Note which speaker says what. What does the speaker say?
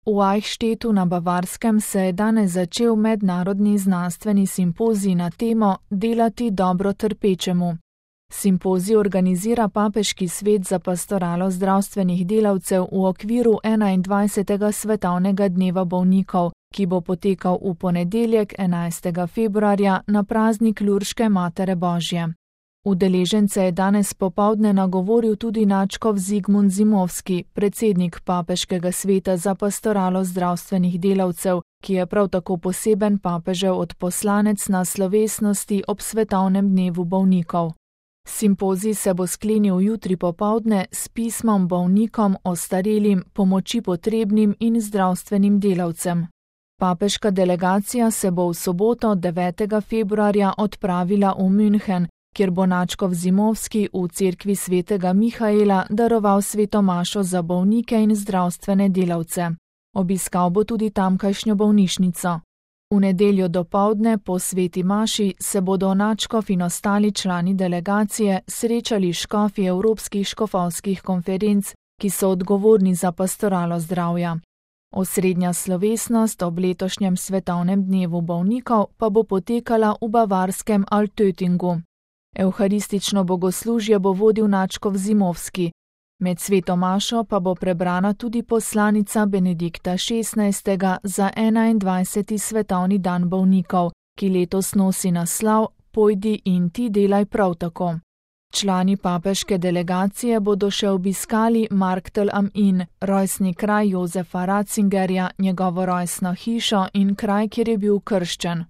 Speaker 1: V Eichstättu na Bavarskem se je danes začel mednarodni znanstveni simpozij na temo Delati dobro trpečemu. Simpozij organizira Papeški svet za pastoralo zdravstvenih delavcev v okviru 21. svetovnega dneva bolnikov, ki bo potekal v ponedeljek 11. februarja na praznik Lurške Matere Božje. Udeležence je danes popoldne nagovoril tudi nadškof Zigmund Zimovski, predsednik Papeškega sveta za pastoralo zdravstvenih delavcev, ki je prav tako poseben papežev odposlanec na slovesnosti ob svetovnem dnevu bolnikov. Simpozij se bo sklenil jutri popoldne s pismom bolnikom, ostarelim, pomoči potrebnim in zdravstvenim delavcem. Papeška delegacija se bo v soboto 9. februarja odpravila v München, kjer bo nadškof Zimovski v cerkvi svetega Mihaela daroval sveto mašo za bolnike in zdravstvene delavce. Obiskal bo tudi tamkajšnjo bolnišnico. V nedeljo dopoldne po sveti maši se bodo nadškof in ostali člani delegacije srečali škofi evropskih škofovskih konferenc, ki so odgovorni za pastoralo zdravja. Osrednja slovesnost ob letošnjem svetovnem dnevu bolnikov pa bo potekala v bavarskem Altöttingu. Evharistično bogoslužje bo vodil nadškof Zimovski. Med sveto mašo pa bo prebrana tudi poslanica Benedikta XVI. Za 21. svetovni dan bolnikov, ki letos nosi naslov Pojdi in ti delaj prav tako. Člani papeške delegacije bodo še obiskali Marktel am Inn, rojstni kraj Jozefa Ratzingerja, njegovo rojstno hišo in kraj, kjer je bil krščen.